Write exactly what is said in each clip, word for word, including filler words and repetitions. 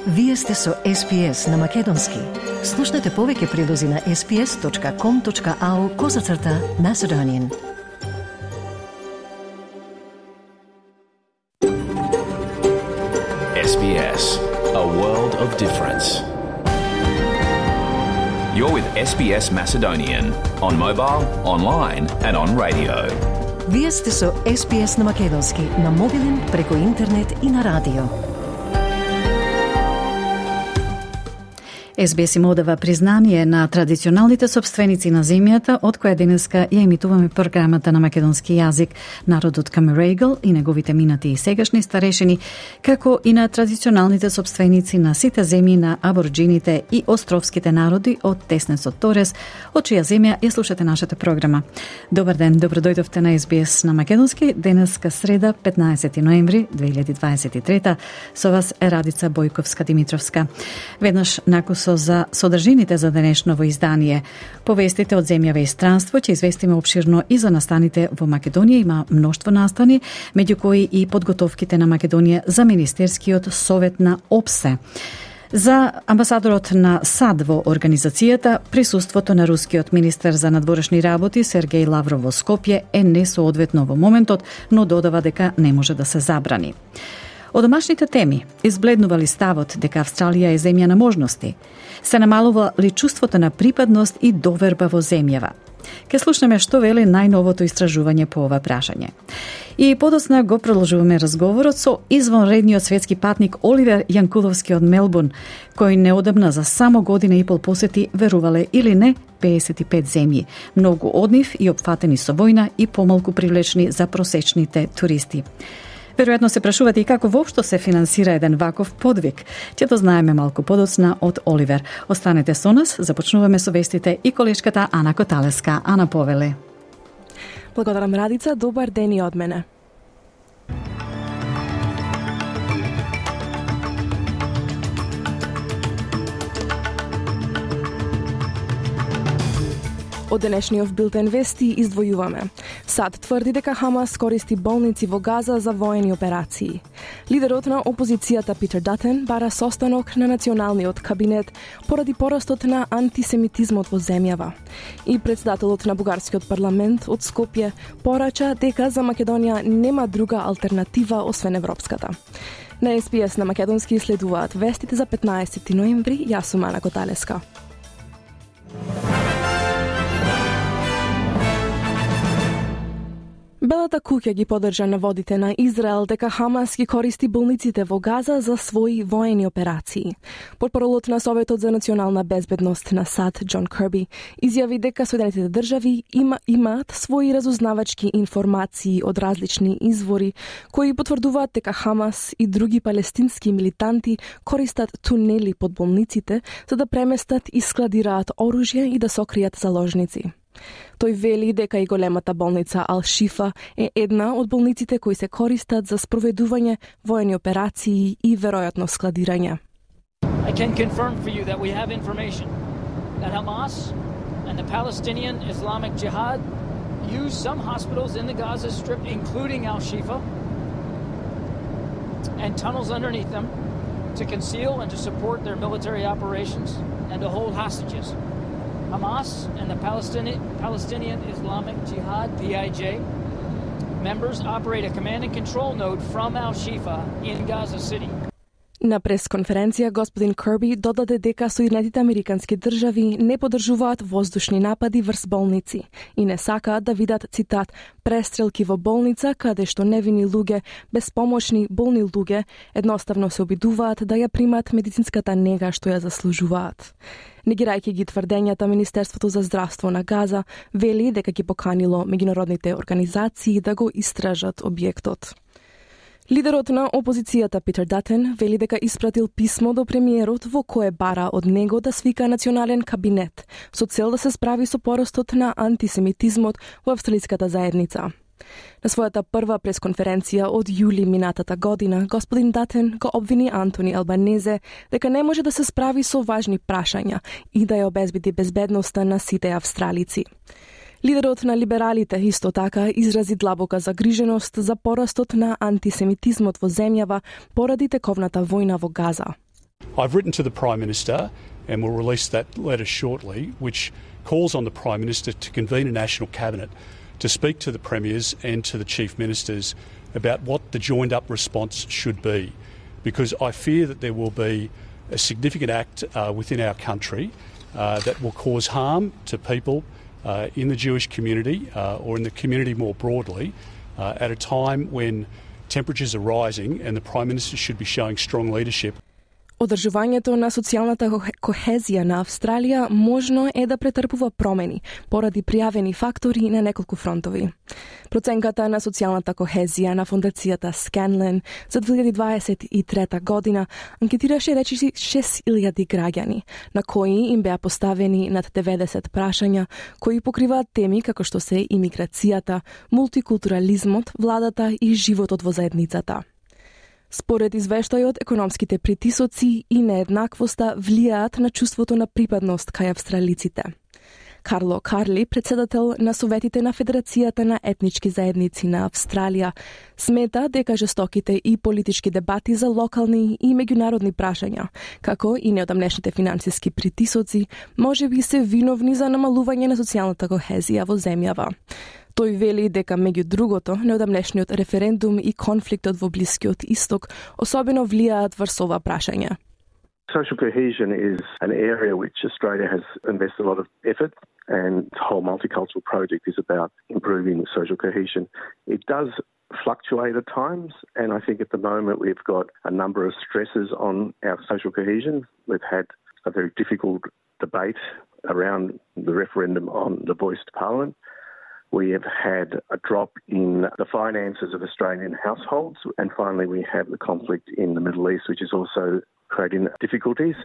Вие сте со Ес Би Ес на Македонски. Слушнете повеќе прилози на ес би ес точка ком точка ау козацрта Macedonian. Ес Би Ес, a world of difference. You're with Ес Би Ес Macedonian on mobile, online and on radio. Вие сте со Ес Би Ес на Македонски, на мобилен, преку интернет и на радио. Ес Би Ес им одава признание на традиционалните собственици на земјата, од која денеска ја емитуваме програмата на македонски јазик, народот Камерегл и неговите минати и сегашни старешини, како и на традиционалните собственици на сите земји на аборџините и островските народи од Теснесот Торес, од чија земја ја слушате нашата програма. Добар ден, добродојдовте на Ес Би Ес на Македонски, денеска среда, петнаесети ноември две илјади дваесет и трета. Со вас е Радица Бојковска-Димитровска. Веднаш накусо за содржините за денешново издание. Повестите од земјава и странство ќе известиме обширно и за настаните во Македонија. Има мноштво настани, меѓу кои и подготовките на Македонија за Министерскиот совет на ОПСЕ. За амбасадорот на САД во организацијата, присуството на рускиот министер за надворешни работи Сергеј Лавров во Скопје е несоодветно во моментот, но додава дека не може да се забрани. Од домашните теми, избледнува ли ставот дека Австралија е земја на можности? Се намалува ли чувството на припадност и доверба во земјава? Ке слушнеме што вели најновото истражување по ова прашање. И подоцна го продолжуваме разговорот со извонредниот светски патник Оливер Јанкуловски од Мелбурн, кој неодамна за само година и пол посети, верувале или не, педесет и пет земји. Многу од нив и опфатени со војна и помалку привлечни за просечните туристи. Веројатно се прашувате и како воопшто се финансира еден ваков подвиг. Ќе то знаеме малку подоцна од Оливер. Останете со нас, започнуваме со вестите и колешката Ана Коталеска. Ана, повеле. Благодарам, Радица, добар ден и од мене. Од денешниот билтен вести издвојуваме. САД тврди дека Хамас користи болници во Газа за воени операции. Лидерот на опозицијата Питер Датен бара состанок на националниот кабинет поради порастот на антисемитизмот во земјава. И председателот на бугарскиот парламент од Скопје порача дека за Македонија нема друга алтернатива освен европската. На Ес Би Ес на Македонски следуваат вестите за петнаесети ноември. Јас сум Ана Коталеска. Белата куќа ги поддржа наводите на Израел дека Хамас ги користи болниците во Газа за своји воени операции. Портпаролот на Советот за национална безбедност на САД, Џон Кирби, изјави дека Соединетите држави има, имаат своји разузнавачки информации од различни извори кои потврдуваат дека Хамас и други палестински милитанти користат тунели под болниците за да преместат и складираат оружје и да сокријат заложници. Тој вели дека и големата болница Ал-Шифа е една од болниците кои се користат за спроведување воени операции и веројатно складирање. I can confirm for you that we have information that Hamas and the Palestinian Islamic Jihad use some hospitals in the Gaza Strip, including Al-Shifa, and tunnels underneath them to conceal and to support their military operations and to hold hostages. Hamas and the Palestinian, Palestinian Islamic Jihad, P I J, members operate a command and control node from Al-Shifa in Gaza City. На пресконференција господин Кирби додаде дека Соединетите Американски држави не поддржуваат воздушни напади врз болници и не сакаат да видат, цитат, престрелки во болница каде што невини луѓе, безпомошни, болни луѓе едноставно се обидуваат да ја примат медицинската нега што ја заслужуваат. Негирајќи ги тврдењата, Министерството за здравство на Газа вели дека ги поканило меѓународните организации да го истражат објектот. Лидерот на опозицијата Питер Датен вели дека испратил писмо до премиерот во кое бара од него да свика национален кабинет со цел да се справи со порастот на антисемитизмот во австралиската заедница. На својата прва пресконференција од јули минатата година, господин Датен го обвини Антони Албанезе дека не може да се справи со важни прашања и да ја обезбеди безбедноста на сите австралици. Лидерот на либералите исто така изрази длабока загриженост за порастот на антисемитизмот во земјава поради тековната војна во Газа. I've written to the Prime Minister and will release that letter shortly, which calls on the Prime Minister to convene a National Cabinet to speak to the Premiers and to the Chief Ministers about what the joined-up response should be, because I fear that there will be a significant act uh, within our country uh, that will cause harm to people uh, in the Jewish community uh, or in the community more broadly uh, at a time when temperatures are rising and the Prime Minister should be showing strong leadership. Одржувањето на социјалната кохезија на Австралија можно е да претрпува промени поради пријавени фактори на неколку фронтови. Проценката на социјалната кохезија на фондацијата Scanlon за две илјади дваесет и трета година анкетираше речиси шест илјади граѓани, на кои им беа поставени над деветдесет прашања кои покриваат теми како што се имиграцијата, мултикултурализмот, владата и животот во заедницата. Според извештајот, економските притисоци и нееднаквоста влијаат на чувството на припадност кај австралиците. Карло Карли, председател на Советите на Федерацијата на етнички заедници на Австралија, смета дека жестоките и политички дебати за локални и меѓународни прашања, како и неодамнешните финансиски притисоци, можеби се виновни за намалување на социјалната кохезија во земјава. Тој вели дека меѓу другото, неодамнешниот референдум и конфликтот во Блискиот Исток особено влијаат врз ова прашање. Social cohesion is an area which Australia has invested a lot of effort, and the whole multicultural project is about improving social cohesion. It does fluctuate at times, and I think at the moment we've got a number of stresses on our social cohesion. We've had a very difficult debate around the referendum on the voice to Parliament. We have had a drop in the finances of Australian households, and finally we have the conflict in the Middle East, which is also creating difficulties.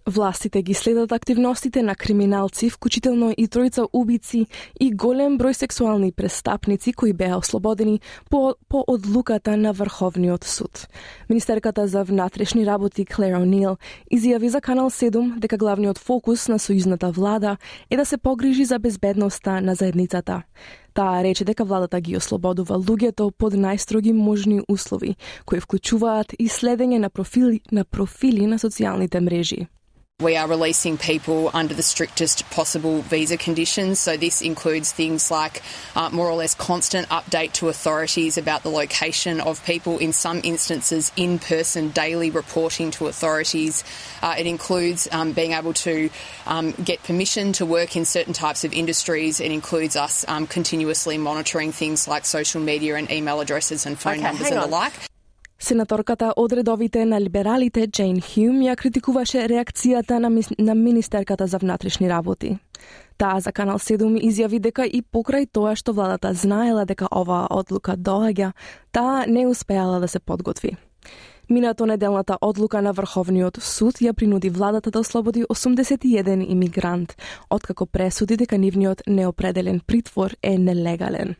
Властите ги следат активностите на криминалци, вклучително и тројца убици и голем број сексуални престапници кои беа ослободени по, по одлуката на Врховниот суд. Министерката за внатрешни работи Клер О'Нил изјави за Канал седум дека главниот фокус на сојузната влада е да се погрижи за безбедноста на заедницата. Таа рече дека владата ги ослободува луѓето под најстроги можни услови, кои вклучуваат и следење на профили на профили на социјалните мрежи. We are releasing people under the strictest possible visa conditions. So this includes things like uh, more or less constant update to authorities about the location of people, in some instances in-person daily reporting to authorities. Uh, it includes um, being able to um, get permission to work in certain types of industries. It includes us um, continuously monitoring things like social media and email addresses and phone okay, numbers and the like. Сенаторката од редовите на либералите Джейн Хјум ја критикуваше реакцијата на, на Министерката за внатрешни работи. Таа за Канал седум изјави дека и покрај тоа што владата знаела дека оваа одлука доаѓа, таа не успеала да се подготви. Минато неделната одлука на Врховниот суд ја принуди владата да ослободи осумдесет и еден имигрант, откако пресуди дека нивниот неопределен притвор е нелегален.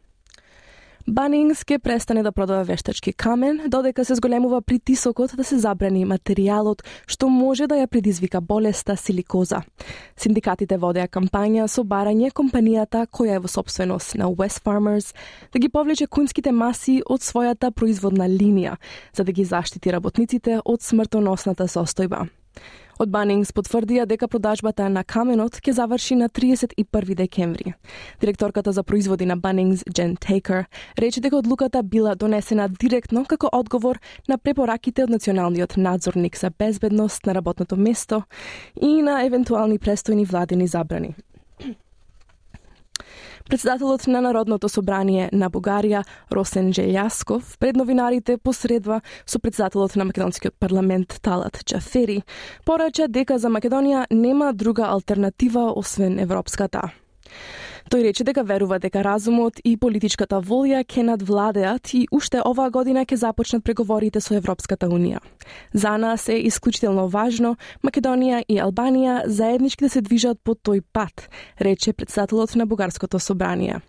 Bunnings ке престане да продава вештачки камен, додека се зголемува притисокот да се забрани материјалот што може да ја предизвика болеста силикоза. Синдикатите водеа кампања со барање компанијата која е во сопственост на Wesfarmers да ги повлече конските маси од својата производна линија, за да ги заштити работниците од смртоносната состојба. Од Bunnings потврдија дека продажбата на каменот ќе заврши на триесет и први декември. Директорката за производи на Bunnings, Jen Taker, рече дека одлуката била донесена директно како одговор на препораките од Националниот надзорник за безбедност на работното место и на евентуални престојни владени забрани. Председателот на Народното собрание на Бугарија, Росен Желјасков, пред новинарите посредва со председателот на Македонскиот парламент Талат Џафери, порача дека за Македонија нема друга алтернатива освен европската. Тој рече дека верува дека разумот и политичката волја ќе надвладеат и уште оваа година ќе започнат преговорите со Европската унија. За нас е исклучително важно Македонија и Албанија заеднички да се движат по тој пат, рече председателот на Бугарското собрание.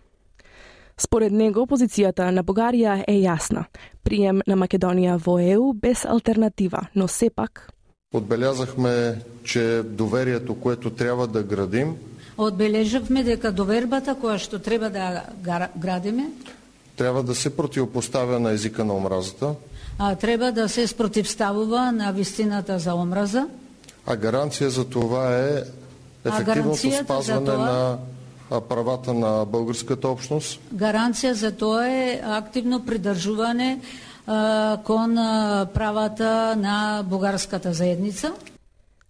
Според него, позицијата на Бугарија е јасна. Прием на Македонија во Е У без алтернатива, но сепак Одбелязахме, че доверието, което трябва да градим, Одбележавме дека довербата која што треба да градиме трябва да се противопоставя на езика на омразата. А треба да се спротивставува на вистината за омраза. А гаранција за това е ефективното спазване това... на правата на българската общност? Гаранција за тоа е активно придржување кон правата на бугарската заедница.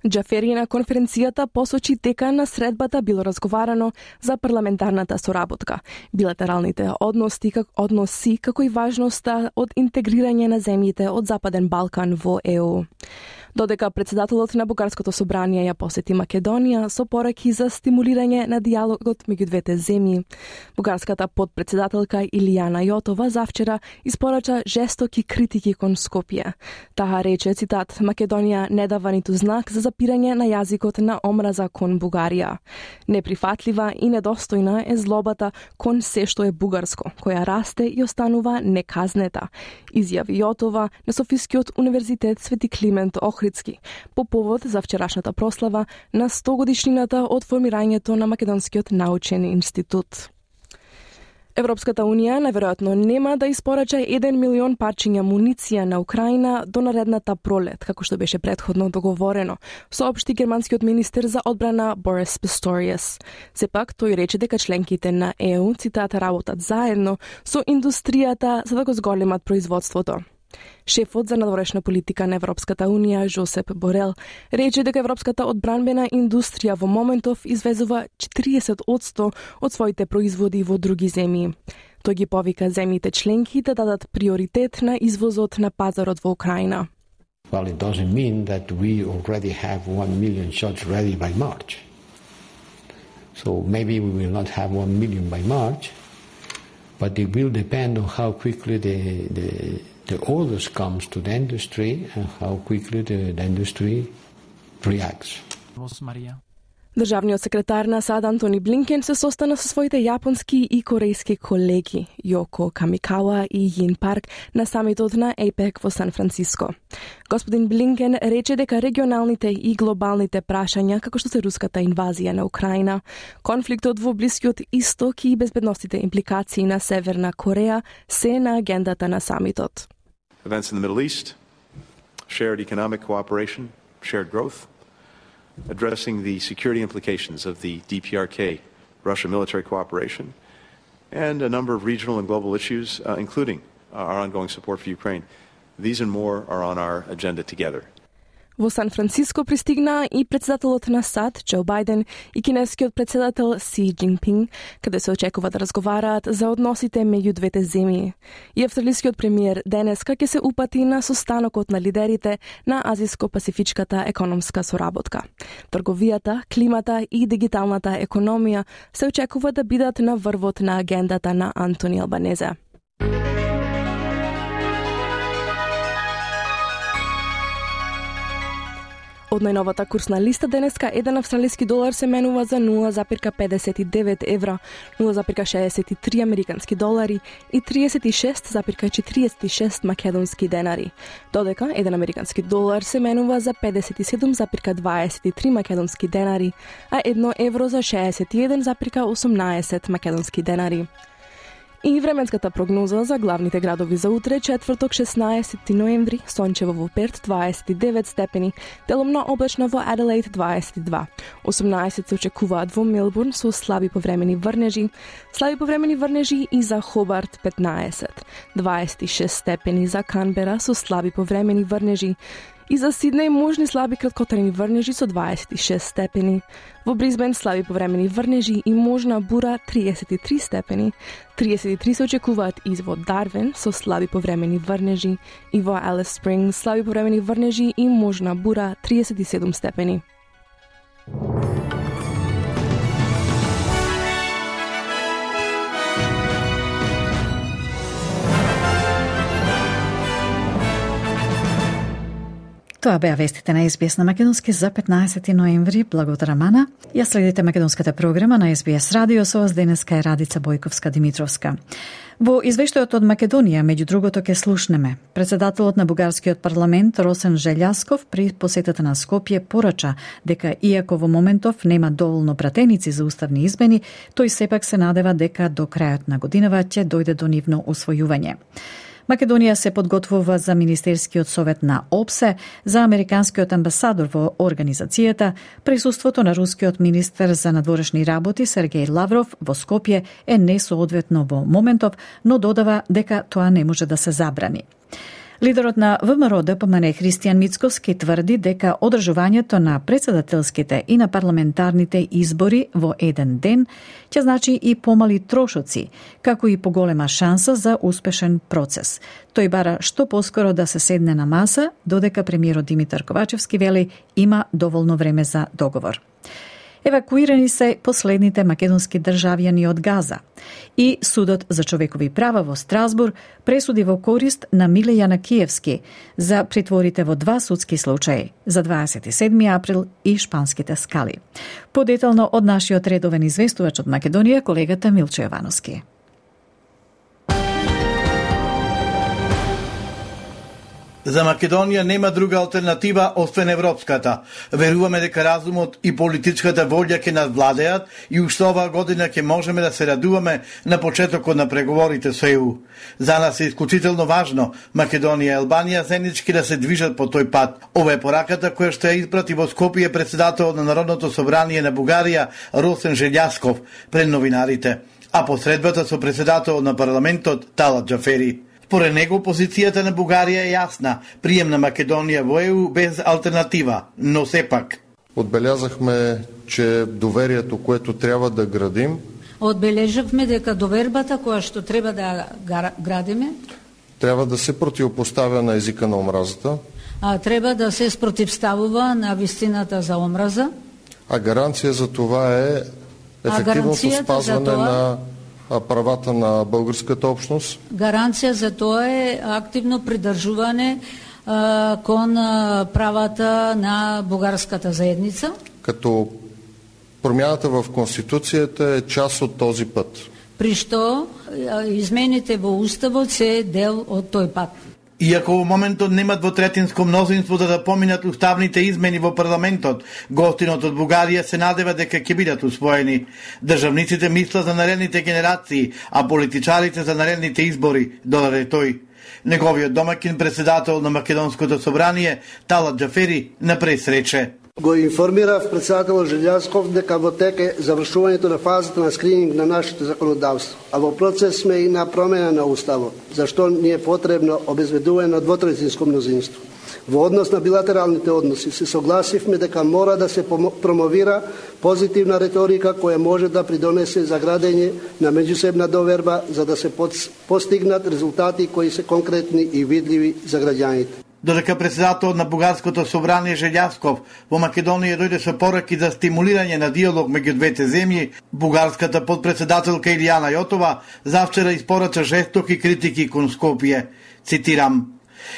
Џафери на конференцијата посочи дека на средбата било разговарано за парламентарната соработка, билатералните односи, как, односи како и важноста од интегрирање на земјите од Западен Балкан во Е У. Додека председателот на Бугарското собрание ја посети Македонија со пораки за стимулирање на диалогот меѓу двете земји, бугарската подпредседателка Илијана Јотова завчера испорача жестоки критики кон Скопје. Таа рече, цитат, Македонија не дава ниту знак за запирање на јазикот на омраза кон Бугарија. Неприфатлива и недостојна е злобата кон се што е бугарско, која расте и останува неказнета, изјави Јотова на Софискиот универзитет Свети Климент Охридски по повод за вчерашната прослава на сто годишнината од формирањето на Македонскиот научен институт. Европската Унија наверојатно нема да испорача еден милион парчиња муниција на Украина до наредната пролет, како што беше претходно договорено, соопшти германскиот министер за одбрана Борис Писторијас. Сепак, тој рече дека членките на Е У, цитат, работат заедно со индустријата за да го зголемат производството. Шефот за надворешна политика на Европската Унија, Жосеп Борел, рече дека европската одбранбена индустрија во моментов извезува четириесет одсто од своите производи во други земји. Тој ги повика земјите членки да дадат приоритет на извозот на пазарот во Украина. Well, it doesn't mean that we already have one million shots ready by March. So maybe we will not have one million by March, but it will depend on how quickly the the the orders comes to the industry and how quickly the, the industry reacts. Државниот секретар на САД Антони Блинкен се состана со своите јапонски и корејски колеги Јоко Камикава и Јин Парк на самитот на Е Пе Ек во Сан Франциско. Господин Блинкен рече дека регионалните и глобалните прашања, како што се руската инвазија на Украина, конфликтот во Блискиот Исток и безбедностите импликации на Северна Кореја се на агендата на самитот. Events in the Middle East, shared economic cooperation, shared growth, addressing the security implications of the D P R K, Russia military cooperation, and a number of regional and global issues, uh, including uh, our ongoing support for Ukraine. These and more are on our agenda together. Во Сан Франциско пристигна и председателот на САД, Џо Бајден, и кинескиот председател Си Џинпинг, каде се очекува да разговараат за односите меѓу двете земји. И австралискиот премиер денеска ќе се упати на состанокот на лидерите на Азиско-пасифичката економска соработка. Трговијата, климата и дигиталната економија се очекува да бидат на врвот на агендата на Антони Албанезе. Од најновата курсна листа денеска еден австралиски долар се менува за нула запирка педесет и девет евра, нула запирка шеесет и три американски долари и триесет и шест запирка четириесет и шест македонски денари. Додека еден американски долар се менува за педесет и седум запирка дваесет и три македонски денари, а едно евро за шеесет и еден запирка осумнаесет македонски денари. И временската прогноза за главните градови за утре, четврток шеснаесети ноември, сончево во Перт дваесет и девет степени, делумно облачно во Аделаид дваесет и два. осумнаесет се очекуваат во Мелбурн со слаби повремени врнежи, слаби повремени врнежи и за Хобарт петнаесет, дваесет и шест степени за Канбера со слаби повремени врнежи, и за Сиднеј можни слаби краткотрени врнежи со дваесет и шест степени. Во Брисбен слаби повремени врнежи и можна бура триесет и три степени. триесет и три се очекуваат и во Дарвин со слаби повремени врнежи и во Алис Спрингс слаби повремени врнежи и можна бура триесет и седум степени. Тоа беа вестите на Ес Би Ес на македонски за петнаесети ноември. Благот Рамана. Ја следите македонската програма на Ес Би Ес Радио, со вас денеска е Радица Бојковска-Димитровска. Во извештајот од Македонија, меѓу другото, ке слушнеме. Председателот на бугарскиот парламент Росен Желјасков при посетата на Скопје порача дека иако во моментов нема доволно пратеници за уставни измени, тој сепак се надева дека до крајот на годинава ќе дојде до нивно усвојување. Македонија се подготвува за Министерскиот совет на ОПСЕ, за американскиот амбасадор во организацијата. Присуството на рускиот министер за надворешни работи Сергеј Лавров во Скопје е несоодветно во моментов, но додава дека тоа не може да се забрани. Лидерот на ВМРО Д П М Н Христијан Мицкоски тврди дека одржувањето на председателските и на парламентарните избори во еден ден ќе значи и помали трошоци, како и поголема шанса за успешен процес. Тој бара што поскоро да се седне на маса, додека премиерот Димитар Ковачевски вели има доволно време за договор. Евакуирани се последните македонски државјани од Газа и Судот за човекови права во Страсбур пресуди во корист на Миле Јанакиевски за притворите во два судски случаи за дваесет и седми април и шпанските скали. Подетално од нашиот редовен известувач од Македонија, колегата Милчо Јовановски. За Македонија нема друга алтернатива освен европската. Веруваме дека разумот и политичката волја ќе надвладеат и уште оваа година ќе можеме да се радуваме на почетокот на преговорите со Е У. За нас е исклучително важно Македонија и Албанија заеднички да се движат по тој пат. Ова е пораката која што ја испрати во Скопје председателот на Народното собрание на Бугарија Росен Желјасков пред новинарите, а посредбата со председателот на парламентот Талат Џафери. Според него, позицијата на Бугарија е јасна, прием на Македонија во Е У без алтернатива, но сепак. Отбелязахме, че доверието, което трябва да градим, Одбележавме дека довербата која што треба да градиме, трябва да се противопоставя на езика на омразата, а треба да се спротивставува на вистината за омраза, а гаранција за това е ефективното спазване това... на правата на българската общност. Гаранција за тоа е активно придржување а, кон а, правата на бугарската заедница. Като промяната в Конституцията е част от този път. При што а, измените во Уставот се дел од тој пат. Иако во моментот нема двотретинско мнозинство за да поминат уставните измени во парламентот, гостинот од Бугарија се надева дека ќе бидат усвоени. Државниците мислат за наредните генерации, а политичарите за наредните избори, додаде тој. Неговиот домакин председател на Македонското собрание, Талат Џафери, напред рече: Го информирав председателот Желјасков дека во тек е завршувањето на фазата на скрининг на нашето законодавство, а во процес сме и на промена на уставот, зашто ни е потребно обезбедување на двотретинско мнозинство. Во однос на билатералните односи се согласивме дека мора да се промовира позитивна реторика која може да придонесе за градење на меѓусебна доверба за да се постигнат резултати кои се конкретни и видливи за граѓаните. Додека председателот на Бугарското собрание Желјасков во Македонија дојде со пораки за стимулирање на диалог меѓу двете земји, бугарската подпредседателка Илијана Јотова завчера испорача жестоки критики кон Скопје. Цитирам: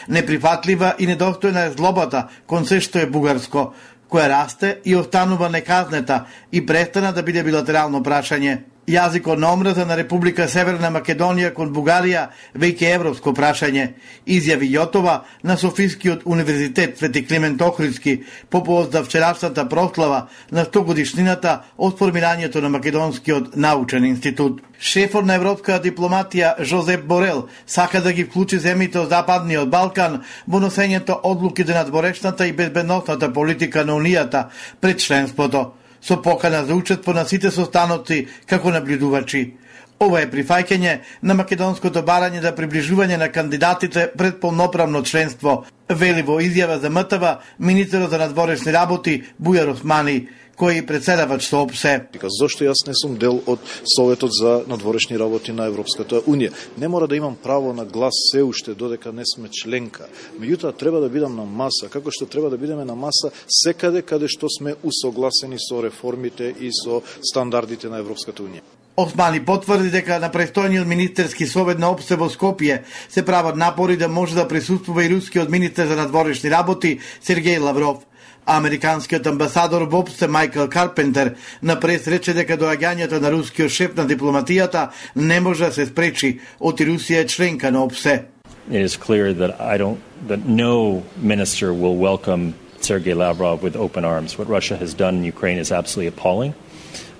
"Неприфатлива и недостојна е злобата кон се што е бугарско, која расте и останува неказнета и престана да биде билатерално прашање. Јазикот на омраза на Република Северна Македонија кон Бугарија веќе европско прашање", изјави Јотова на Софискиот универзитет Свети Климент Охридски по повод за вчерашната прослава на сто годишнината од формирањето на Македонскиот научен институт. Шефот на европската дипломатија Жозеп Борел сака да ги вклучи земјите од Западниот Балкан во носењето одлуки за надворешната и безбедносната политика на Унијата пред членството, со покана за учество на сите состаноци како наблюдувачи. Ова е прифаќање на македонското барање за приближување на кандидатите пред полноправно членство, вели во изјава за М Т В министерот за надворешни работи Бујар Османи, кој председавач со ОПСЕ. Зошто јас не сум дел од Советот за надворешни работи на Европската Унија? Не мора да имам право на глас се уште додека не сме членка. Меѓутоа треба да бидам на маса, како што треба да бидеме на маса секаде каде што сме усогласени со реформите и со стандардите на Европската Унија. Османи потврди дека на престојниот министерски совет на ОПСЕ во Скопје се прават напори да може да присуствува и рускиот министер за надворешни работи Сергеј Лавров. Американскиот амбасадор во ОПСЕ Майкл Карпентер напред рече дека доаѓањето на рускиот шеф на дипломатијата не може да се спречи, оти Русија е членка на ОПСЕ. It is clear that I don't that no minister will welcome Sergei Lavrov with open arms. What Russia has done in Ukraine is absolutely appalling.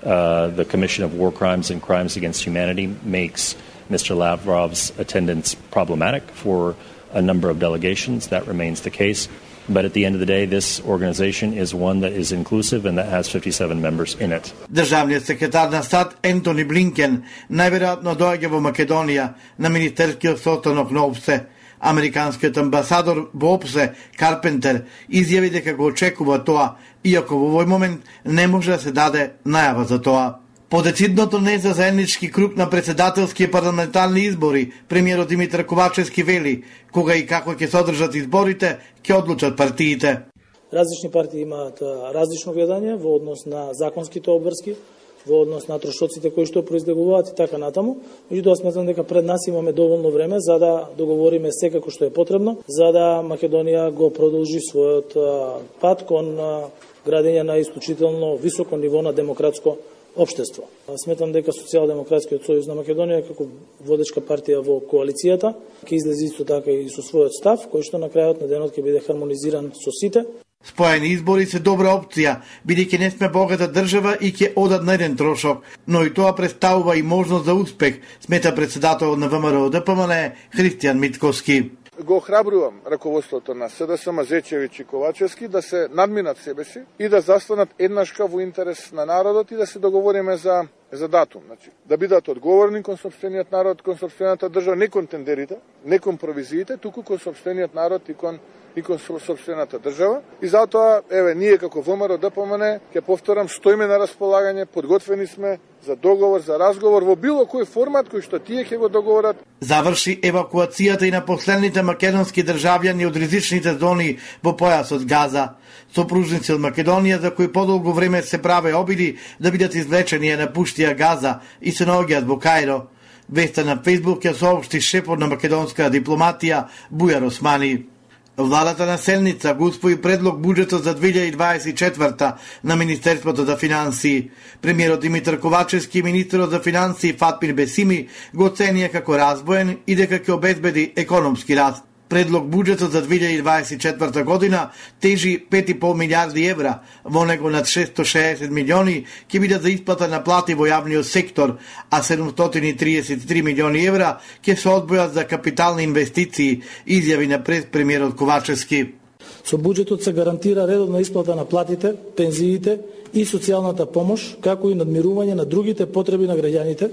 Uh, the Commission of War Crimes and Crimes Against Humanity makes Mister Lavrov's attendance problematic for a number of delegations. That remains the case. But at the end of the day, this organization is one that is inclusive and that has fifty-seven members in it. Државниот секретар на САД Ентони Блинкен најверојатно доаѓа во Македонија на министерскиот состанок на ОПСЕ. Американскиот амбасадор во ОПСЕ Карпентер изјави дека го очекува тоа, иако во овој момент не може да се даде најава за тоа. По децидното не за заеднички круг на председателски парламентарни избори, премиерот Димитар Ковачевски вели, кога и како ќе се одржат изборите, ќе одлучат партиите. Различни партии имаат различно гледање во однос на законските обврски, во однос на трошоците кои што произлегуваат и така натаму. Меѓутоа сметам дека пред нас имаме доволно време за да договориме секако што е потребно, за да Македонија го продолжи својот пат кон градење на исклучително високо ниво на демократско општество. Сметам дека Социјалдемократскиот сојуз на Македонија како водечка партија во коалицијата ќе излезе исто така и со својот став, кој што на крајот на денот ќе биде хармонизиран со сите. Споени избори се добра опција, бидејќи не сме богата држава и ќе одат на еден трошок, но и тоа представува и можност за успех, смета председател на ВМРО Д П М Н Христијан Митковски. Го охрабрувам раководството на С Д С Мазечевиќ и Ковачевски да се надминат себе си и да застанат еднашка во интерес на народот и да се договориме за за датум, значи да бидат одговорни кон сопствениот народ, кон сопствената држава, не кон тендерите, не кон провизиите, туку кон сопствениот народ и кон и кон сопствената држава. И затоа, еве, ние како ВМРО Д П М Н, ќе повторам, стоиме на располагање, подготвени сме за договор, за разговор во било кој формат кој што тие ќе го договорат. Заврши евакуацијата и на последните македонски државјани од ризичните зони во појасот Газа. Сопружници од Македонија за кои подолго време се праве обиди да бидат извлечени ја напуштија Газа и се наоѓаат во Кајро. Веста на Фејсбук ја соопшти шефот на македонска дипломатија Бујар Османи. Владата на Селница го усвои предлог буџетот за две илјади дваесет и четврта на Министерството за финансии. Премиерот Димитар Ковачевски и министерот за финансии Фатмир Бесими го оценија како разбоен и дека ќе обезбеди економски раст. Предлог буџетот за две илјади дваесет и четврта година тежи пет и пол милијарди евра, во него над шестстотини и шеесет милиони ќе бидат за исплата на плати во јавниот сектор, а седумстотини и триесет и три милиони евра ќе се одвојат за капитални инвестиции, изјави на пред премиерот Ковачевски. Со буџетот се гарантира редовна исплата на платите, пензиите и социјалната помош, како и надмирување на другите потреби на граѓаните,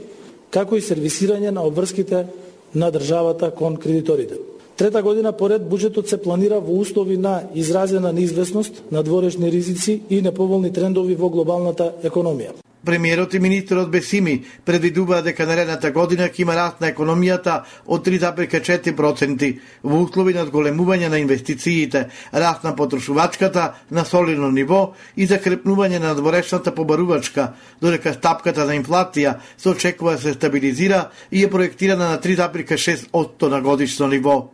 како и сервисирање на обврските на државата кон кредиторите. Трета година поред буџетот се планира во услови на изразена неизвестност, надворешни ризици и неповолни трендови во глобалната економија. Премиерот и министерот Бесими предвидуваат дека наредната година ќе има раст на економијата од три зарез и четири проценти во услови на одголемување на инвестициите, раст на потрошувачката на солидно ниво и закрепнување на надворешната побарувачка, додека стапката на инфлација се очекува да се стабилизира и е проектирана на три зарез и шест проценти на годишно ниво.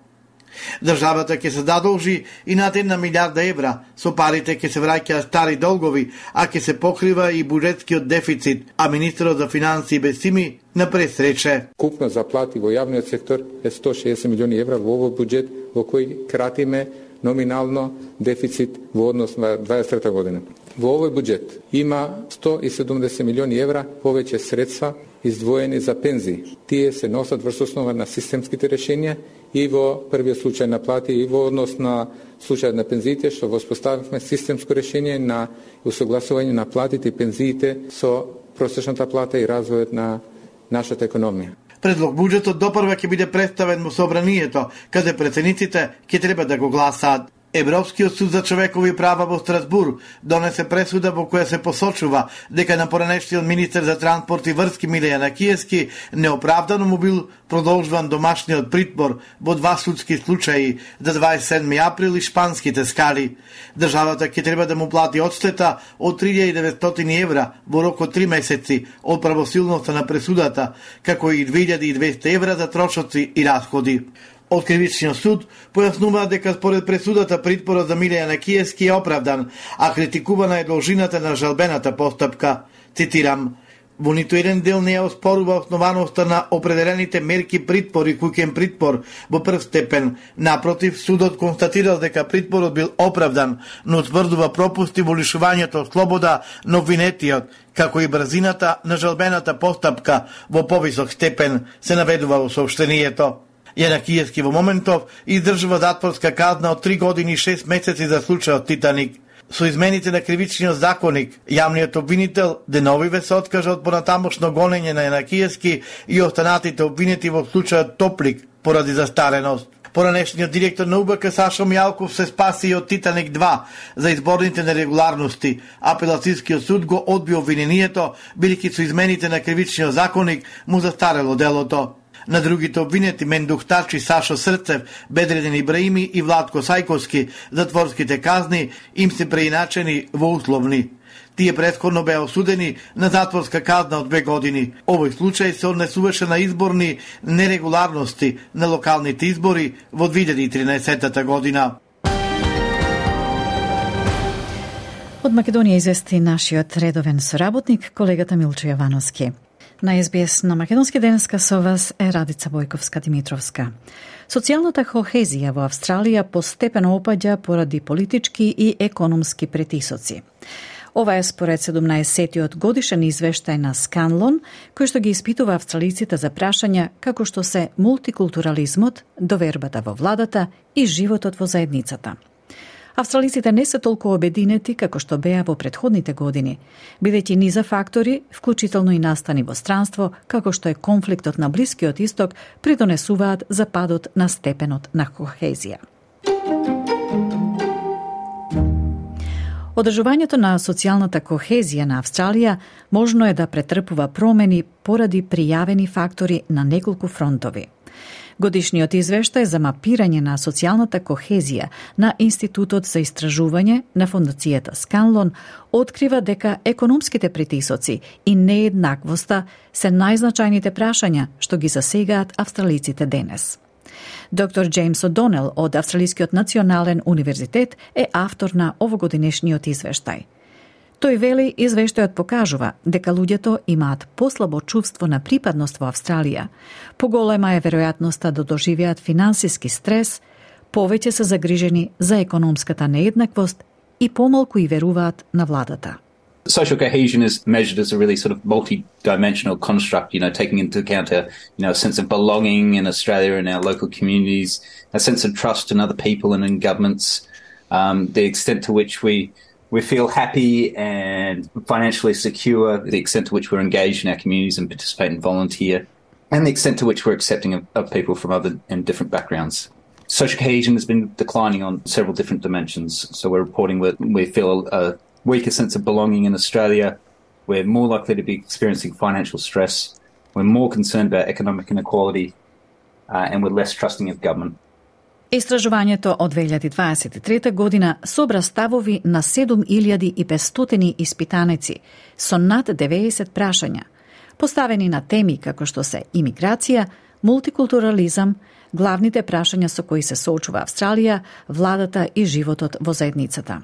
Државата ќе се задолжи и над една милијарда евра, со парите ќе се враќаат стари долгови, а ќе се покрива и буџетскиот дефицит, а министерот за финансии Бесими напред рече. Купна заплати во јавниот сектор е сто и шеесет милиони евра во овој буџет, во кој кратиме номинално дефицит во однос на дваесет и трета година. Во овој буџет има сто и седумдесет милиони евра повеќе средства издвоени за пензии. Тие се носат врз основа на системските решенија и во првиот случај на плати и во однос на случајот на пензиите, што воспоставивме системско решение на усогласување на платите и пензиите со просечната плата и развојот на нашата економија. Предлог буџетот допрва ќе биде представен во собранието, каде претседниците ќе треба да го гласаат. Европскиот суд за човекови права во Страсбур донесе пресуда во која се посочува дека на поранешниот министер за транспорт и врски Милејан Акиевски неоправдано му бил продолжуван домашниот притвор во два судски случаи за дваесет и седми април и шпанските скали. Државата ќе треба да му плати одштета од три илјади и деветстотини евра во рок од три месеци од правосилноста на пресудата, како и две илјади и двесте евра за трошоци и расходи. Од Кривичниот суд појаснуваат дека според пресудата притворот за Милејан Акиевски е оправдан, а критикувана е должината на жалбената постапка. Цитирам: Во ниту еден дел не ја оспорува основаноста на определените мерки притвор и куќен притвор во прв степен. Напротив, судот констатирал дека притворот бил оправдан, но утврдува пропусти во лишувањето од слобода на обвинетиот, како и брзината на жалбената постапка во повисок степен, се наведува во соопштението. Јанакиевски во моментов издржува затворска казна од три години и шест месеци за случајот Титаник. Со измените на кривичниот законник, јавниот обвинител деновиве се откажа од понатамошно гонење на Јанакиевски и останатите обвинети во случајот Топлик поради застареност. Поранешниот директор на У Б К Сашо Мјалков се спаси и од Титаник два за изборните нерегуларности. Апелацијскиот суд го одби обвинението, бидејќи со измените на кривичниот законник му застарело делото. На другите обвинети Мендух Тачи, Сашо Срцев, Бедреден Ибраими и Владко Сајковски затворските казни им се преиначени во условни. Тие претходно беа осудени на затворска казна од две години. Овој случај се однесуваше на изборни нерегуларности на локалните избори во две илјади и тринаесетта година. Од Македонија извести нашиот редовен соработник, колегата Милчо Јовановски. На Ес Би Ес на Македонски денеска со вас е Радица Бојковска-Димитровска. Социјалната кохезија во Австралија постепено опаѓа поради политички и економски притисоци. Ова е според седумнаесеттиот годишен извештај на Сканлон, кој што ги испитува австралиците за прашања како што се мултикултурализмот, довербата во владата и животот во заедницата. Австралиците не се толку обединети како што беа во претходните години, бидејќи низа фактори, вклучително и настани во странство, како што е конфликтот на Блискиот Исток, придонесуваат за падот на степенот на кохезија. Одржувањето на социјалната кохезија на Австралија можно е да претрпува промени поради пријавени фактори на неколку фронтови. Годишниот извештај за мапирање на социјалната кохезија на Институтот за истражување на фондацијата Сканлон открива дека економските притисоци и нееднаквоста се најзначајните прашања што ги засегаат австралиците денес. Доктор Джеймс Одонел од Австралискиот национален универзитет е автор на овогодинешниот извештај. Тој вели, извештајот покажува дека луѓето имаат послабо чувство на припадност во Австралија, поголема е веројатноста да доживеат финансиски стрес, повеќе се загрижени за економската нееднаквост и помалку и веруваат на владата. Social cohesion is measured as a really sort of multi-dimensional construct, you know, taking into account a, you know, a sense of belonging in Australia and our local communities, a sense of trust in other people and in governments, um, the extent to which we we feel happy and financially secure, the extent to which we're engaged in our communities and participate and volunteer, and the extent to which we're accepting of, of people from other and different backgrounds. Social cohesion has been declining on several different dimensions. So we're reporting that we feel a weaker sense of belonging in Australia. We're more likely to be experiencing financial stress. We're more concerned about economic inequality, uh, and we're less trusting of government. Истражувањето од две илјади дваесет и трета година собра ставови на седум илјади и петстотини испитаници со над деветдесет прашања, поставени на теми како што се имиграција, мултикултурализам, главните прашања со кои се соочува Австралија, владата и животот во заедницата.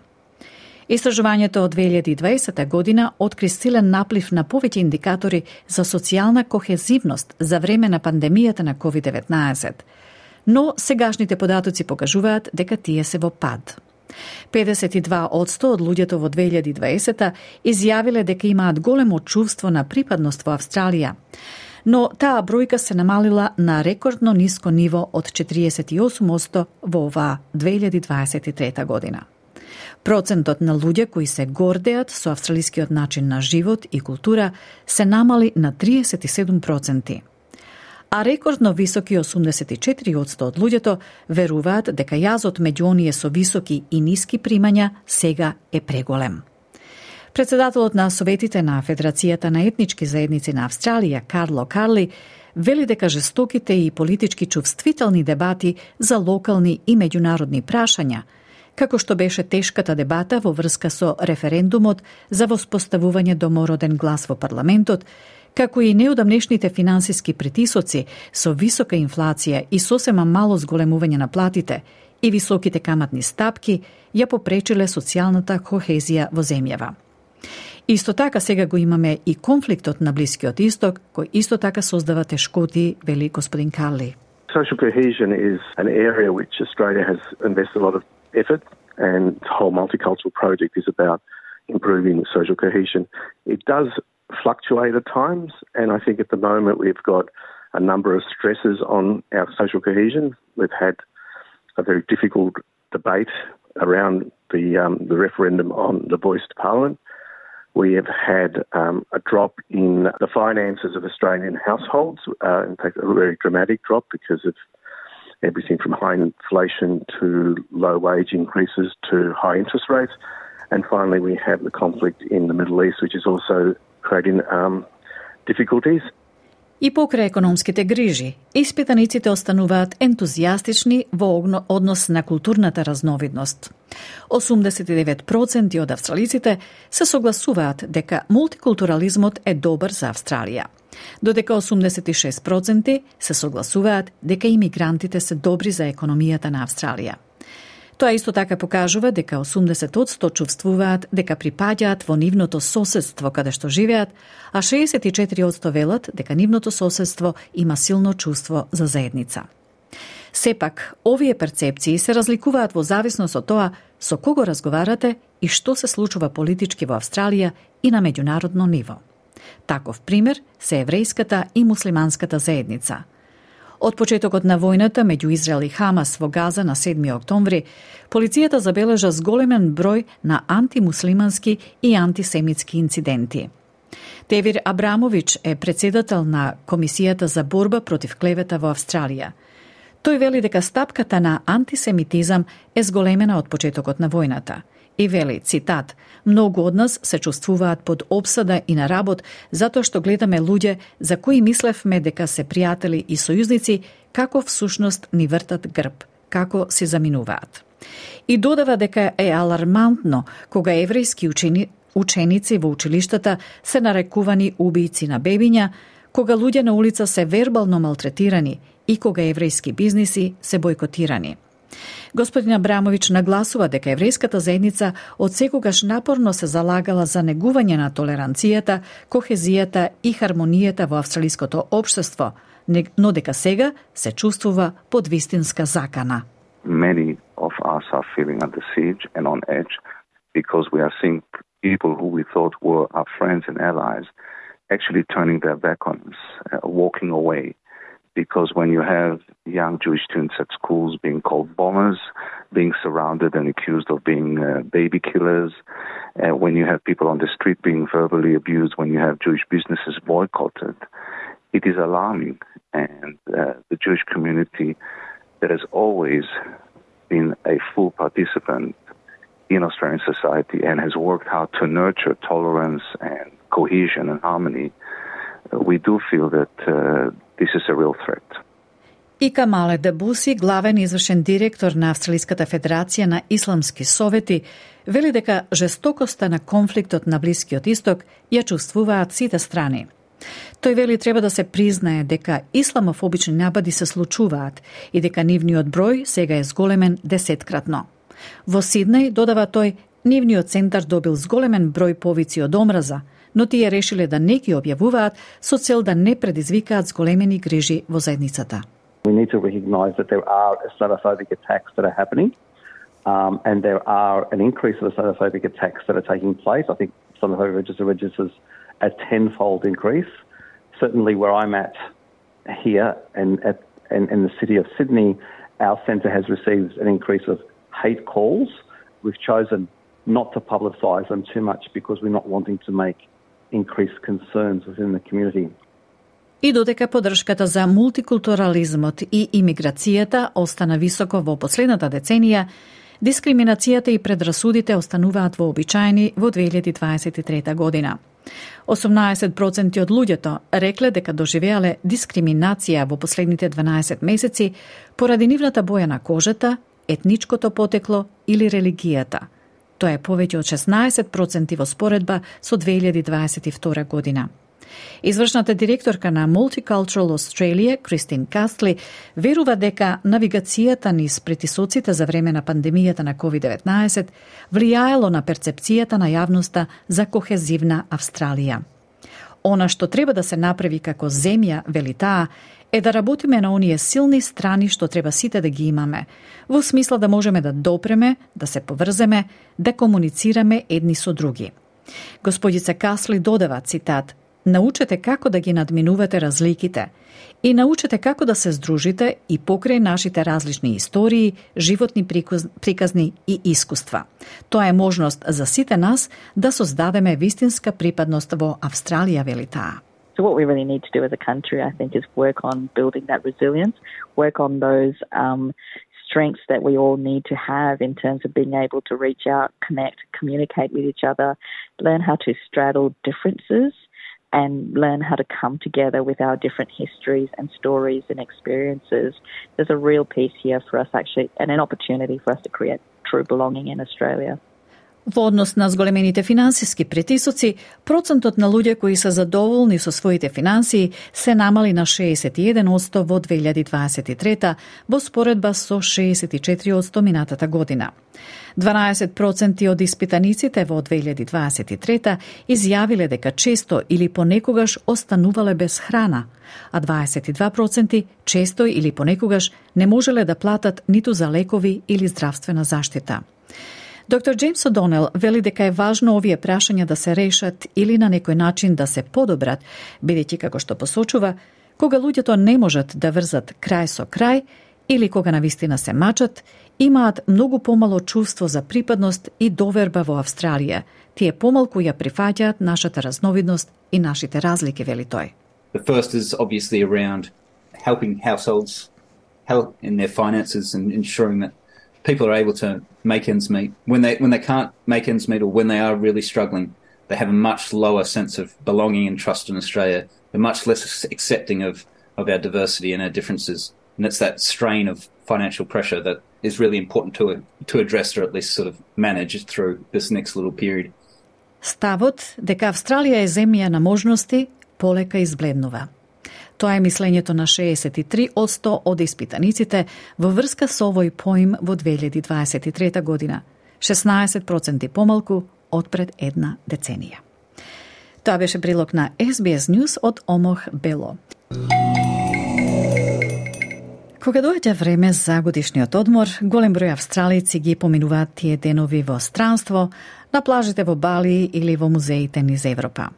Истражувањето од две илјади и дваесета година откри силен наплив на повеќе индикатори за социјална кохезивност за време на пандемијата на ковид деветнаесет, но сегашните податоци покажуваат дека тие се во пад. педесет и два одсто од луѓето во две илјади и дваесета изјавиле дека имаат големо чувство на припадност во Австралија, но таа бројка се намалила на рекордно ниско ниво од четириесет и осум одсто во оваа две илјади дваесет и трета година. Процентот на луѓе кои се гордеат со австралискиот начин на живот и култура се намали на триесет и седум проценти. А рекордно високи осумдесет и четири одсто од луѓето веруваат дека јазот меѓу оние со високи и ниски примања сега е преголем. Председателот на Советите на Федерацијата на етнички заедници на Австралија, Карло Карли, вели дека жестоките и политички чувствителни дебати за локални и меѓународни прашања, како што беше тешката дебата во врска со референдумот за воспоставување домороден глас во парламентот, како и неодамнешните финансиски притисоци со висока инфлација и сосема мало зголемување на платите и високите каматни стапки, ја попречиле социјалната кохезија во земјава. Исто така сега го имаме и конфликтот на Блискиот Исток, кој исто така создава тешкоти, вели господин Карли. Social cohesion is an area which Australia has invested a lot of effort, and the whole multicultural project is about improving social cohesion. It does fluctuate at times, and I think at the moment we've got a number of stresses on our social cohesion. We've had a very difficult debate around the um, the referendum on the voice to Parliament. We have had um, a drop in the finances of Australian households, uh, in fact a very dramatic drop because of everything from high inflation to low wage increases to high interest rates. And finally we have the conflict in the Middle East, which is also creating um, difficulties. И покрај економските грижи, испитаниците остануваат ентузијастични во однос на културната разновидност. осумдесет и девет проценти од австралиците се согласуваат дека мултикултурализмот е добар за Австралија, додека осумдесет и шест проценти се согласуваат дека имигрантите се добри за економијата на Австралија. Тоа исто така покажува дека осумдесет одсто чувствуваат дека припаѓаат во нивното соседство каде што живеат, а шеесет и четири одсто велат дека нивното соседство има силно чувство за заедница. Сепак, овие перцепции се разликуваат во зависност од тоа со кого разговарате и што се случува политички во Австралија и на меѓународно ниво. Таков пример се еврејската и муслиманската заедница. Од почетокот на војната меѓу Израел и Хамас во Газа на седми октомври, полицијата забележа зголемен број на антимуслимански и антисемитски инциденти. Тевир Абрамович е председател на Комисијата за борба против клевета во Австралија. Тој вели дека стапката на антисемитизам е зголемена од почетокот на војната. И вели, цитат, многу од нас се чувствуваат под обсада и на работ затоа што гледаме луѓе за кои мислевме дека се пријатели и сојузници, како всушност ни вртат грб, како се заминуваат. И додава дека е алармантно кога еврејски учени, ученици во училиштата се нарекувани убијци на бебиња, кога луѓе на улица се вербално малтретирани и кога еврејски бизниси се бойкотирани. Господин Абрамович нагласува дека еврејската заедница од секогаш напорно се залагала за негување на толеранцијата, кохезијата и хармонијата во австралиското општество, но дека сега се чувствува под вистинска закана. Many of us are feeling under siege and on edge because we are seeing people who we thought were our friends and allies actually turning their back on us, uh, walking away. Because when you have young Jewish students at schools being called bombers, being surrounded and accused of being uh, baby killers, uh, when you have people on the street being verbally abused, when you have Jewish businesses boycotted, it is alarming. And uh, the Jewish community that has always been a full participant in Australian society and has worked hard to nurture tolerance and cohesion and harmony, uh, we do feel that uh, this is a real threat. И Камале Дебуси, главен извршен директор на Австралиската федерација на исламски совети, вели дека жестокоста на конфликтот на Блискиот Исток ја чувствуваат сите страни. Тој вели треба да се признае дека исламофобични напади се случуваат и дека нивниот број сега е зголемен десеткратно. Во Сиднеј, додава тој, нивниот центар добил зголемен број повици од омраза, но тие решиле да не ги објавуваат со цел да не предизвикаат зголемени грижи во заедницата. We need to recognise that there are Islamophobic attacks that are happening, um, and there are an increase of Islamophobic attacks that are taking place. I think Islamophobic register registers a tenfold increase. Certainly where I'm at here and at in, in the city of Sydney, our centre has received an increase of hate calls. We've chosen not to publicise them too much because we're not wanting to make increased concerns within the community. И додека поддршката за мултикултурализмот и имиграцијата остана високо во последната деценија, дискриминацијата и предрасудите остануваат вообичаени во две илјади дваесет и трета година. осумнаесет проценти од луѓето рекле дека доживеале дискриминација во последните дванаесет месеци поради нивната боја на кожата, етничкото потекло или религијата. Тоа е повеќе од шеснаесет проценти во споредба со две илјади дваесет и втора година. Извршната директорка на Multicultural Australia, Кристин Кастли, верува дека навигацијата низ притисоците за време на пандемијата на ковид деветнаесет влијаело на перцепцијата на јавноста за кохезивна Австралија. Она што треба да се направи како земја, вели таа, е да работиме на оние силни страни што треба сите да ги имаме, во смисла да можеме да допреме, да се поврземе, да комуницираме едни со други. Господица Касли додава, цитат, научете како да ги надминувате разликите и научете како да се здружите и покрај нашите различни истории, животни приказни и искуства. Тоа е можност за сите нас да создадеме вистинска припадност во Австралија, вели таа. So what we really need to do as a country, I think, is work on building that resilience, work on those um, strengths that we all need to have in terms of being able to reach out, connect, communicate with each other, learn how to straddle differences, and learn how to come together with our different histories and stories and experiences. There's a real piece here for us actually, and an opportunity for us to create true belonging in Australia. Во однос на зголемените финансиски притисоци, процентот на луѓе кои се задоволни со своите финансии се намали на шеесет и еден одсто во две илјади дваесет и трета во споредба со шеесет и четири одсто минатата година. дванаесет проценти од испитаниците во две илјади дваесет и трета изјавиле дека често или понекогаш останувале без храна, а дваесет и два проценти често или понекогаш не можеле да платат ниту за лекови или здравствена заштита. Доктор Джеймс О'Донел вели дека е важно овие прашања да се решат или на некој начин да се подобрат, бидејќи како што посочува, кога луѓето не можат да врзат крај со крај или кога навистина се мачат, имаат многу помало чувство за припадност и доверба во Австралија. Тие помалку ја прифаќаат нашата разновидност и нашите разлики, вели тој. The first is obviously around helping households, help in their finances and ensuring that people are able to make ends meet. When they when they can't make ends meet or when they are really struggling, they have a much lower sense of belonging and trust in Australia. They're much less accepting of, of our diversity and our differences. And it's that strain of financial pressure that is really important to to address or at least sort of manage through this next little period. Ставот дека Австралија е земја на можности полека избледнува. Тоа е мислењето на шеесет и три одсто од испитаниците во врска со овој поим во две илјади дваесет и трета година, шеснаесет проценти помалку од пред една деценија. Тоа беше прилог на Ес Би Ес News од Омох Бело. Кога доаѓа време за годишниот одмор, голем број австралици ги поминуваат тие денови во странство, на плажите во Бали или во музеите низ Европа.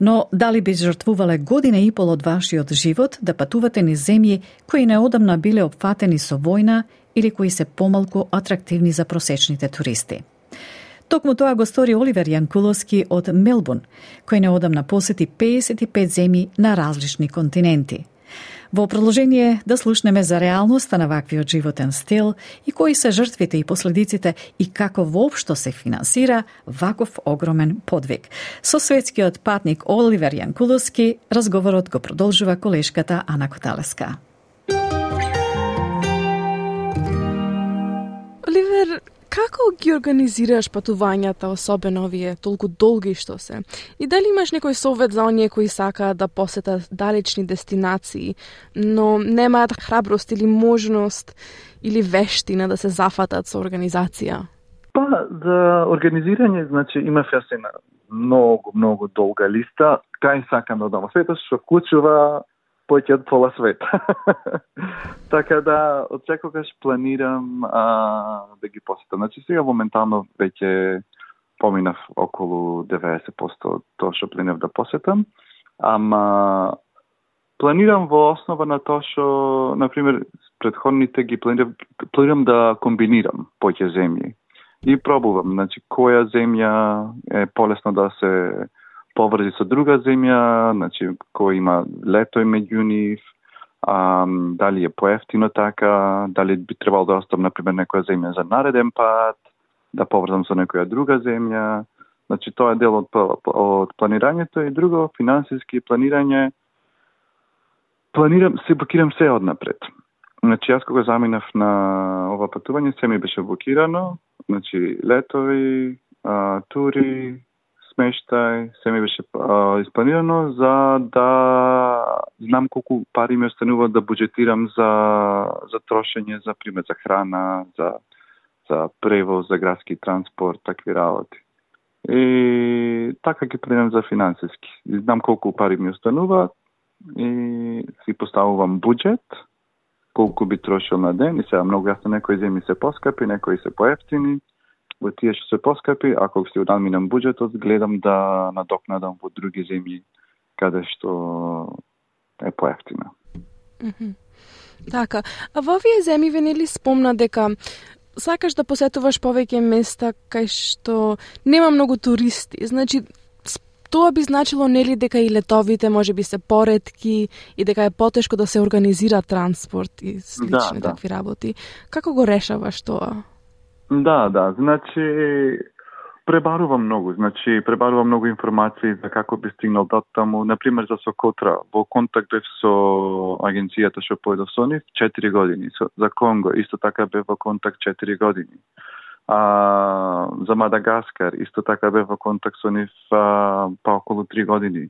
Но дали би жртвувале година и пол од вашиот живот да патувате низ земји кои неодамна биле опфатени со војна или кои се помалку атрактивни за просечните туристи? Токму тоа го стори Оливер Јанкуловски од Мелбурн, кој неодамна посети педесет и пет земји на различни континенти. Во продолжение да слушнеме за реалноста на ваквиот животен стил и кои се жртвите и последиците и како воопшто се финансира ваков огромен подвиг. Со светскиот патник Оливер Јанкуловски разговорот го продолжува колешката Ана Коталеска. Оливер, како ги организираш патувањата, особено овие толку долги што се? И дали имаш некој совет за оние кои сакаат да посетат далечни дестинации, но немаат храброст или можност или вештина да се зафатат со организација? Па, за организирање, значи, имав јас една многу, многу долга листа, кај сакам да одам во светот, што вклучува поќе од пола свет. Така да, од секогаш планирам а, да ги посетам. Значи, сега моментално веќе поминав околу деветдесет проценти од тоа што планирав да посетам. Ама планирам во основа на тоа што, например, предходните ги планирам, планирам да комбинирам поќе земји. И пробувам, значи, која земја е полесно да се поврзи со друга земја, значи, кој има лето меѓу нив, а, дали е поевтино така, дали би требало да оставам, например, некоја земја за нареден пат, да поврзам со некоја друга земја. Значи, тоа е дел од, од планирањето и друго, финансиски планирање. Планирам, се блокирам се однапред. Значи, јас кога заминав на ова патување, се ми беше блокирано. Значи, летови, а, тури, смештај, се ми беше а, испланирано за да знам колку пари ми останува да буџетирам за за трошење, за пример за храна, за за превоз, за градски транспорт, такви работи. И така ги планирам за финансиски. И знам колку пари ми остануваат и си поставувам буџет, колку би трошил на ден и сега многу јасно некои земји се поскапи, некои се поевтини. Во тие што се поскапи, ако си надминам буџетот, гледам да надокнадам во други земји каде што е поевтина. Mm-hmm. Така, а во овие земји ве нели спомна дека сакаш да посетуваш повеќе места кај што нема многу туристи. Значи, тоа би значило нели дека и летовите можеби се поретки и дека е потешко да се организира транспорт и слични да, такви да. работи. Како го решаваш тоа? Да, да, значи пребарувам многу, значи пребарувам многу информации за како би стигнал до таму, например за Сокотра, во контакт бев со агенцијата што појдов со нив четири години, со, за Конго исто така бев во контакт четири години. А, за Мадагаскар исто така бев во контакт со нив а, па околу три години.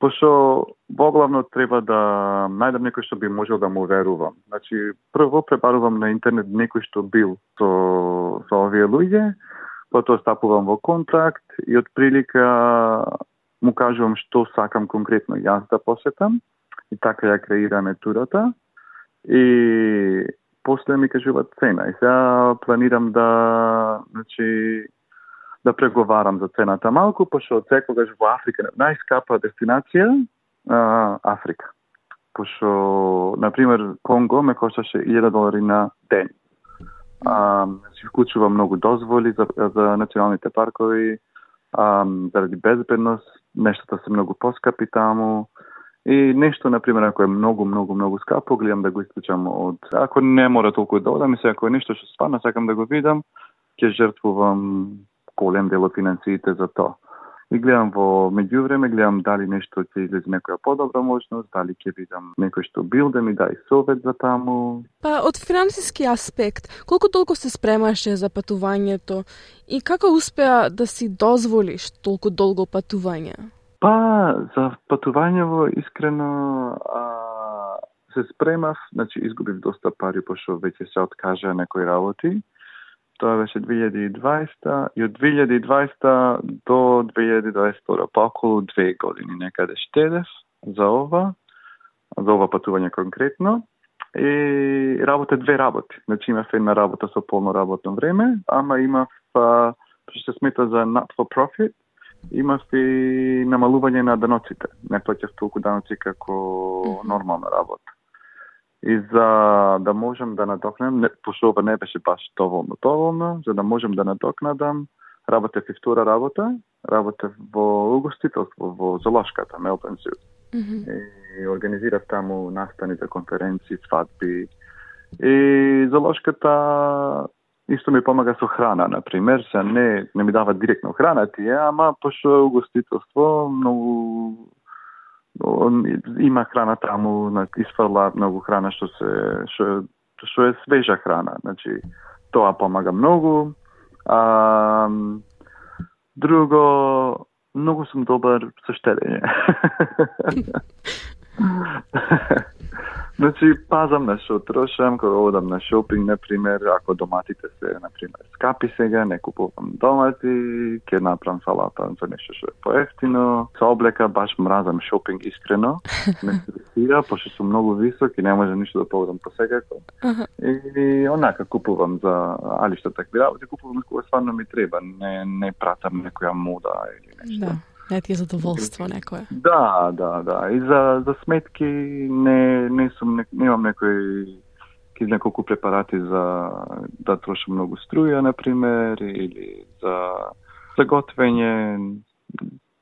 Пошто воглавно треба да најдам некој што би можел да му верувам. Значи, прво пребарувам на интернет некој што бил со, со овие луѓе, потоа стапувам во контакт и од прилика му кажувам што сакам конкретно јас да посетам и така ја креираме турата и после ми кажуваат цена. И сега планирам да, значи, да преговарам за цената малку, пошто секогаш во Африка, најскапа дестинација, а, Африка. Пошто, например, Конго ме кошташе илјада долари на ден. А, си вклучува многу дозволи за, за националните паркови, а, заради безбедност, нештата се многу поскапи таму. И нешто, например, ако е многу, многу, многу скапо, гледам да го исклучам од... Ако не мора толку да одам, ако е нешто што стварно сакам да го видам, ќе жртвувам голем дел од финансиите за тоа. И гледам во меѓувреме, гледам дали нешто ќе излезе некоја подобра можност, дали ќе видам некој што бил да ми даде совет за таму. Па од финансиски аспект, колку толку се спремаше за патувањето и како успеа да си дозволиш толку долго патување? Па, за патувањево искрено а, се спремав, значи изгубив доста пари, пошто веќе се откажа некои работи. Тоа беше две илјади и дваесета и од две илјади и дваесета до две илјади дваесет и втора, па околу две години некаде штедев за ова, за ова патување конкретно. И работе две работи. Значи имав една работа со полно работно време, ама имав, а, што се смета за not for profit, имав и намалување на даноците. Не плаќав толку даноци како нормална работа. И за да можам да надокнадам, пошто ова не беше баш доволно доволно, за да можам да надокнадам, работев и втора работа, работев во угостителство, во Золошката, Мелбурн Зу. Mm-hmm. И организирав таму настани за конференции, свадби. И Золошката исто ми помага со храна, например, се не, не ми дава директно храна тие, ама пошто угостителство, многу има храна таму, изфрла многу храна што се што, што е свежа храна, значи тоа помага многу. А, друго, многу сум добар со штедење. Значи, пазам на што трошам, кога одам на шопинг, например, ако доматите се, например, скапи сега, не купувам домати, ќе направам салата за нешто што е поевтино. Со облека баш мразам шопинг искрено, не се десира, пошто сум многу висок и не може ништо да поведам посекако. Uh-huh. И онака купувам за алишта такви работи, купувам кога стварно ми треба, не, не пратам некоја мода или нешто. Да. Не ти е задоволство некое. Да, да, да. И за, за сметки не, не сум, не, немам некој ки неколку препарати за да трошам многу струја, например, или за, за готвење.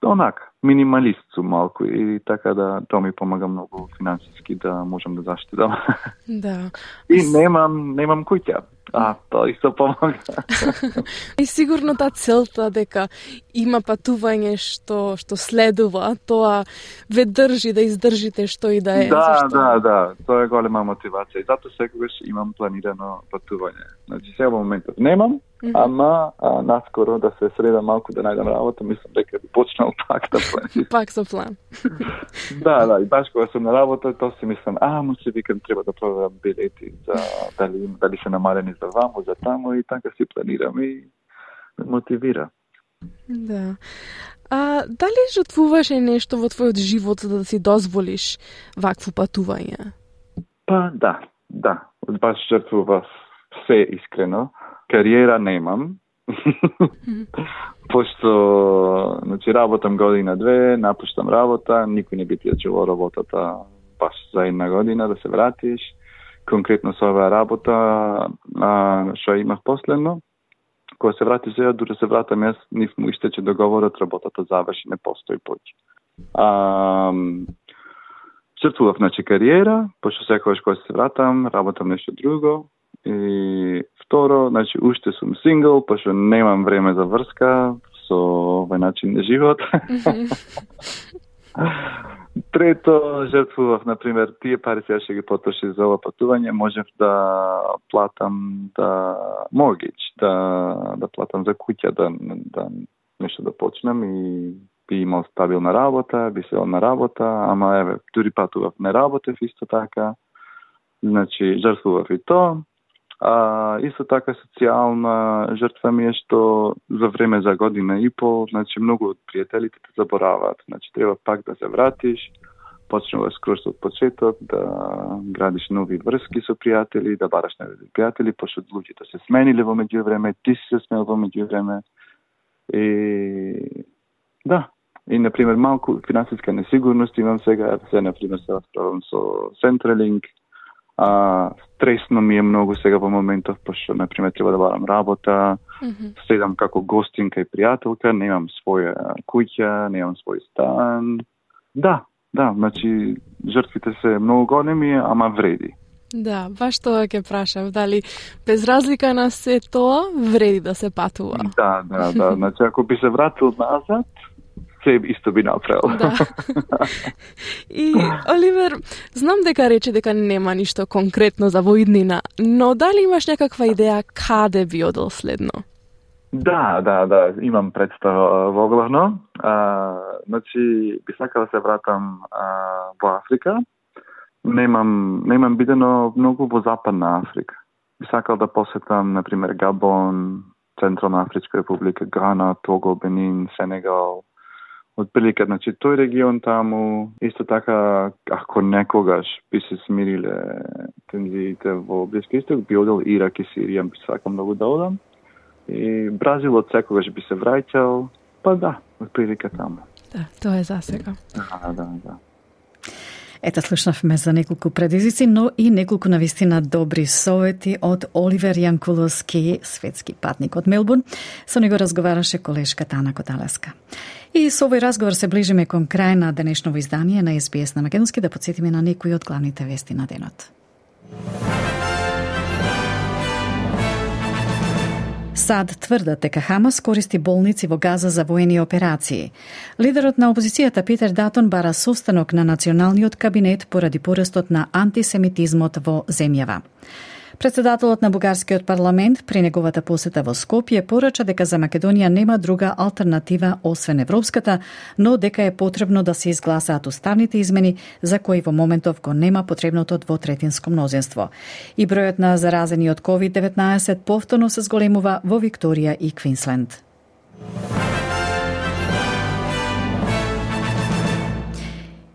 Онака, минималист сум малку и така да тоа ми помага многу финансиски да можам да заштедам. Да. И немам, немам куќа. А, тоа исто помага. И сигурно таа целта дека има патување што што следува, тоа ве држи да издржите што и да е. Да, зашто... да, да, тоа е голема мотивација. И затоа секогаш имам планирано патување. Значи сега во моментот немам, mm-hmm. ама а, наскоро да се средам малку да најдам работа, мислам дека би почнал пак да планирам. Пак со план. Да, да, и баш кога сум на работа, тоа си мислам, а, му се викам треба да проверам билети за дали дали се намалени за ваму, за таму и така си планирам и ме мотивира. Да. А дали жртвуваше нешто во твојот живот за да си дозволиш вакво патување? Па да, да. Баш жртвував се искрено. Кариера немам. Пошто, значи, работам година две, напуштам работа, никој не би ти ачувал работата баш за една година да се вратиш. Конкретно со оваа работа, а, што имав последно, кога се вратиш сега, дури се вратам јас, нив му истече договорот, работата заврши, не постои поќе. А, жртвував, значи, кариера, пошто секогаш кога се вратам, работам нешто друго. И второ, значи, уште сум сингл, пошто немам време за врска со овој начин на живот. Трето, жртвував, например, тие пари сега ще ги потроши за ова патување, можев да платам да mortgage, да да платам за куќа, да да нешто да почнам и би имал стабилна работа, би сел на работа, ама еве, дури патував не работев исто така. Значи, жртвував и тоа. А, исто така социјална жртва ми е што за време за година и пол, значи многу од пријателите те забораваат. Значи треба пак да се вратиш, почнуваш скроз од почеток, да градиш нови врски со пријатели, да бараш нови пријатели, пошто луѓето се смениле во меѓувреме, ти си се сменил во меѓувреме. И да, и на пример малку финансиска несигурност имам сега, се на пример се расправам со Centrelink. А, стресно ми е многу сега во моментов, пошто, например, треба да барам работа, mm-hmm. седам како гостин кај пријателка, немам своја куќа, немам свој стан. Да, да, значи, жртвите се многу големи, ама вреди. Да, баш тоа ќе прашав, дали без разлика на се тоа, вреди да се патува. Да, да, да, значи, ако би се вратил назад, се исто би направил. Да. И, Оливер, знам дека рече дека нема ништо конкретно за воиднина, но дали имаш некаква идеја каде би одел следно? Да, да, да, имам представа во главно. А, значи, би сакал да се вратам а, во Африка. Немам, немам бидено многу во Западна Африка. Би сакал да посетам, например, Габон, Централна Афричка република, Гана, Того, Бенин, Сенегал. Отприлика, значи, тој регион таму, исто така, ако некогаш би се смириле тензиите во Блиски Исток, би одел Ирак и Сирија, би сакам многу да одам. И Бразил од секогаш би се враќал, па да, отприлика таму. Да, тоа е за сега. Да, да, да. Ета, слушнавме за неколку предизвици, но и неколку навистина добри совети од Оливер Јанкуловски, светски патник од Мелбурн. Со него разговараше колешката Ана Коталеска. И со овој разговор се ближиме кон крај на денешново издание на Ес Би Ес на Македонски, да подсетиме на некои од главните вести на денот. САД тврдат дека Хамас користи болници во Газа за воени операции. Лидерот на опозицијата Питер Датон бара состанок на националниот кабинет поради порастот на антисемитизмот во земјава. Председателот на бугарскиот парламент при неговата посета во Скопје порача дека за Македонија нема друга алтернатива освен европската, но дека е потребно да се изгласаат уставните измени за кои во моментов го нема потребното двотретинско мнозинство. И бројот на заразени од ковид деветнаесет повторно се зголемува во Викторија и Квинсленд.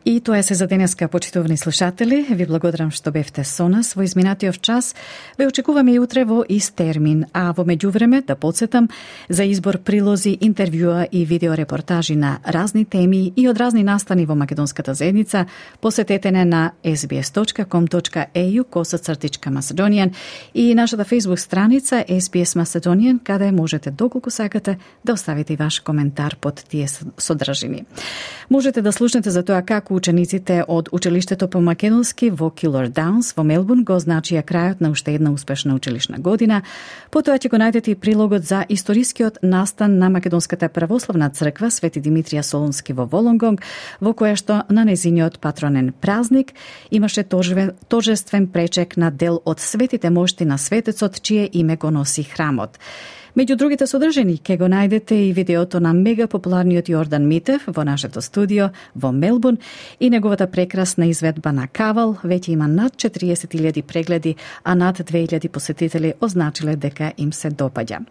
И тоа е се за денеска, почитувани слушатели. Ви благодарам што бевте со нас во изминатиот час. Ве очекуваме и утре во ист термин, а во меѓувреме да подсетам за избор прилози, интервјуа и видеорепортажи на разни теми и од разни настани во македонската заедница. Посетете не на ес би ес точка ком точка е ю косацртичка Macedonian и нашата Facebook страница Ес Би Ес Macedonian, каде можете доколку сакате да оставите и ваш коментар под тие содржини. Можете да слушнете за тоа како учениците од училиштето по македонски во Килор Даунс во Мелбурн го означија крајот на уште една успешна училишна година. Потоа ќе го најдете и прилогот за историскиот настан на Македонската православна црква Свети Димитрија Солунски во Волонгонг, во која што на незиниот патронен празник имаше торжествен пречек на дел од светите мошти на светецот, чие име го носи храмот. Меѓу другите содржини ќе го најдете и видеото на мега популарниот Јордан Митев во нашето студио во Мелбурн и неговата прекрасна изведба на Кавал. Веќе има над четириесет илјади прегледи, а над две илјади посетители означиле дека им се допаѓа.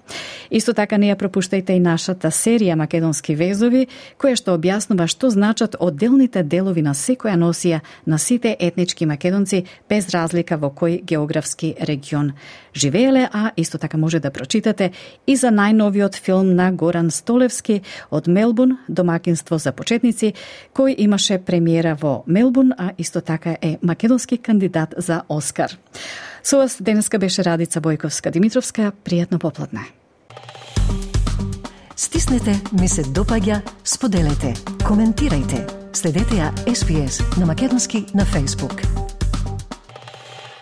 Исто така не ја пропуштајте и нашата серија Македонски везови, која што објаснува што значат одделните делови на секоја носија на сите етнички македонци без разлика во кој географски регион живееле, а исто така може да прочитате и за најновиот филм на Горан Столевски од Мелбурн, домакинство за почетници, кој имаше премиера во Мелбурн, а исто така е македонски кандидат за Оскар. Со вас денеска беше Радица Бојковска-Димитровска. Пријатно попладне. Стиснете, ми се допаѓа, споделете, коментирајте. Следете ја Ес Би Ес на македонски на Facebook.